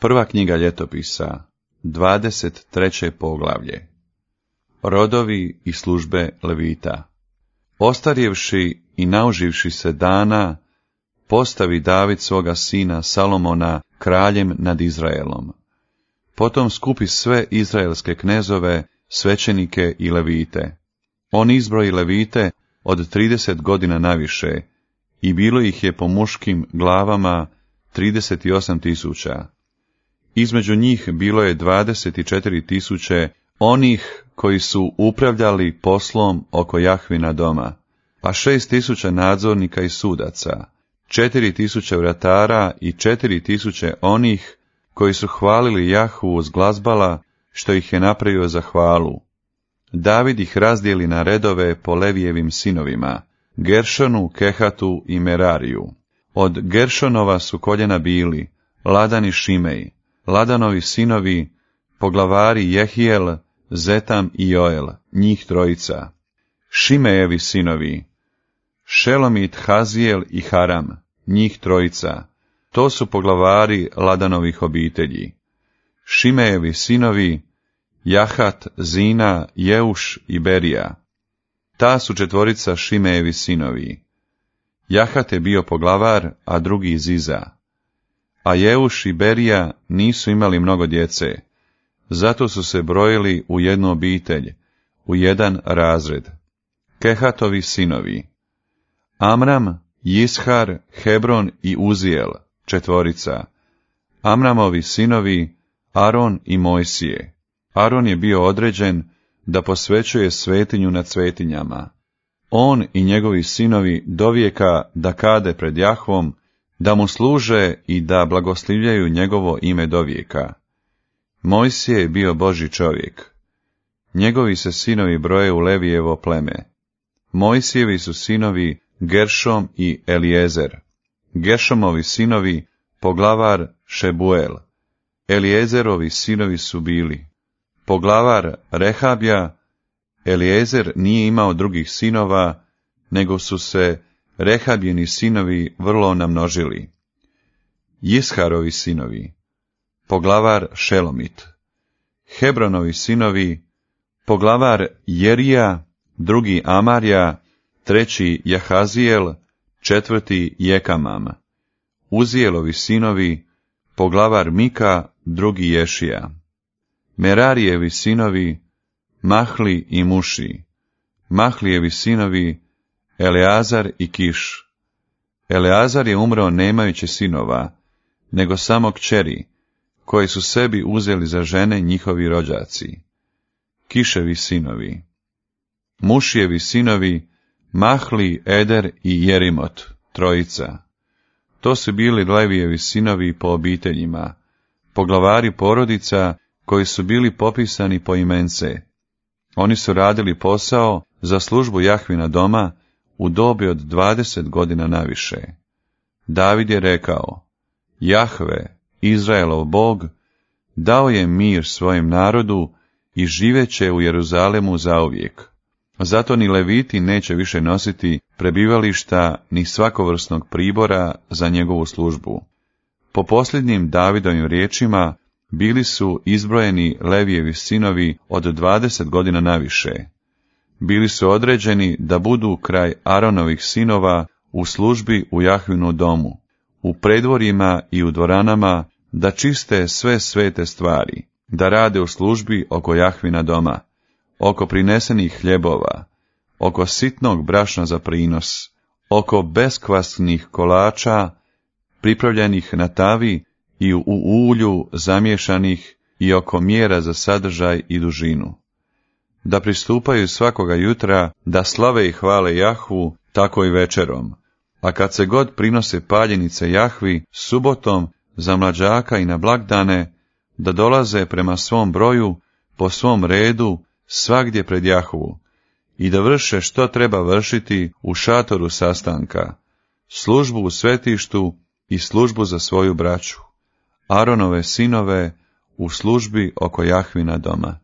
Prva knjiga Ljetopisa, 23. poglavlje. Rodovi i službe Levita. Ostarjevši i nauživši se dana, postavi David svoga sina Salomona kraljem nad Izraelom. Potom skupi sve izraelske knezove, svećenike i levite. On izbroji levite od 30 godina naviše, i bilo ih je po muškim glavama 38.000. Između njih bilo je 24.000 onih koji su upravljali poslom oko Jahvina doma, a 6.000 nadzornika i sudaca, 4.000 vratara i 4.000 onih koji su hvalili Jahvu uz glazbala, što ih je napravio za hvalu. David ih razdijeli na redove po Levijevim sinovima, Geršonu, Kehatu i Merariju. Od Geršonova su koljena bili Ladan i Šimej, Ladanovi sinovi, poglavari Jehijel, Zetam i Joel, njih trojica. Šimejevi sinovi, Šelomit, Hazijel i Haram, njih trojica. To su poglavari Ladanovih obitelji. Šimejevi sinovi, Jahat, Zina, Jeuš i Berija. Ta su četvorica Šimejevi sinovi. Jahat je bio poglavar, a drugi Ziza. A Jeuš i Berija nisu imali mnogo djece, zato su se brojili u jednu obitelj, u jedan razred. Kehatovi sinovi, Amram, Jishar, Hebron i Uzijel, četvorica. Amramovi sinovi, Aron i Mojsije. Aron je bio određen da posvećuje svetinju nad svetinjama. On i njegovi sinovi dovijeka da kade pred Jahvom, da mu služe i da blagoslivljaju njegovo ime dovijeka. Mojsije je bio Božji čovjek. Njegovi se sinovi broje u Levijevo pleme. Mojsijevi su sinovi Geršom i Elijezer. Geršomovi sinovi poglavar Šebuel. Elijezerovi sinovi su bili poglavar Rehabja. Elijezer nije imao drugih sinova, nego su se Rehabjini sinovi vrlo namnožili. Jisharovi sinovi, poglavar Šelomit. Hebronovi sinovi, poglavar Jerija, drugi Amarja, treći Jahazijel, četvrti Jekamam. Uzijelovi sinovi, poglavar Mika, drugi Ješija. Merarijevi sinovi, Mahli i Muši. Mahlijevi sinovi, Eleazar i Kiš. Eleazar je umro nemajući sinova, nego samo kćeri, koje su sebi uzeli za žene njihovi rođaci. Kiševi sinovi, Mušijevi sinovi, Mahli, Eder i Jerimot, trojica. To su bili Levijevi sinovi po obiteljima, poglavari porodica koji su bili popisani po imence. Oni su radili posao za službu Jahvina doma u dobi od 20 godina naviše. David je rekao, Jahve, Izraelov Bog, dao je mir svojim narodu i živeće u Jeruzalemu zauvijek. Zato ni leviti neće više nositi prebivališta ni svakovrsnog pribora za njegovu službu. Po posljednjim Davidovim riječima bili su izbrojeni Levijevi sinovi od 20 godina naviše. Bili su određeni da budu kraj Aronovih sinova u službi u Jahvinu domu, u predvorjima i u dvoranama, da čiste sve svete stvari, da rade u službi oko Jahvina doma, oko prinesenih hljebova, oko sitnog brašna za prinos, oko beskvasnih kolača, pripravljenih na tavi i u ulju zamješanih, i oko mjera za sadržaj i dužinu. Da pristupaju svakoga jutra, da slave i hvale Jahvu, tako i večerom, a kad se god prinose paljenice Jahvi, subotom, za mlađaka i na blagdane, da dolaze prema svom broju, po svom redu, svagdje pred Jahvu, i da vrše što treba vršiti u šatoru sastanka, službu u svetištu i službu za svoju braću, Aronove sinove u službi oko Jahvina doma.